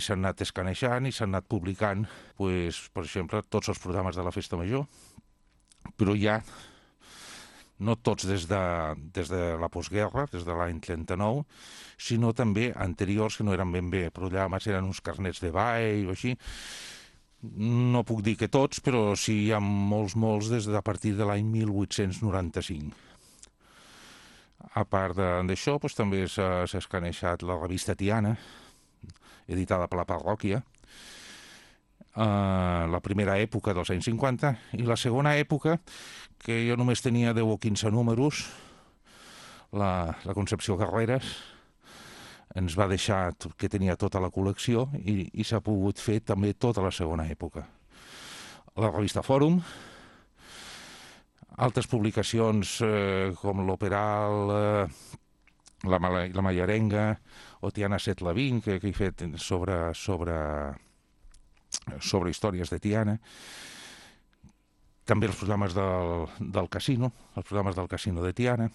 S'han anat escanejant i s'han anat publicant, pues, per exemple, tots els programes de la Festa Major, però ja no tots des de la postguerra, des de l'any 39, sinó també anteriors que no eren ben bé programes, eren uns carnets de ball o així. No puc dir que tots, però sí hi ha molts des de a partir de l'any 1895. A part d'això, doncs, també s'ha escanejat la revista Tiana, editada per la parròquia, la primera època dels anys 50, i la segona època, que jo només tenia 10 o 15 números, la Concepció Carreras ens va deixar que tenia tota la col·lecció i s'ha pogut fer també tota la segona època. La revista Fòrum, altres publicacions com l'Operal, la Mallarenga o Tiana 7-20, que he fet sobre històries de Tiana. També els programes del casino, els programes del casino de Tiana.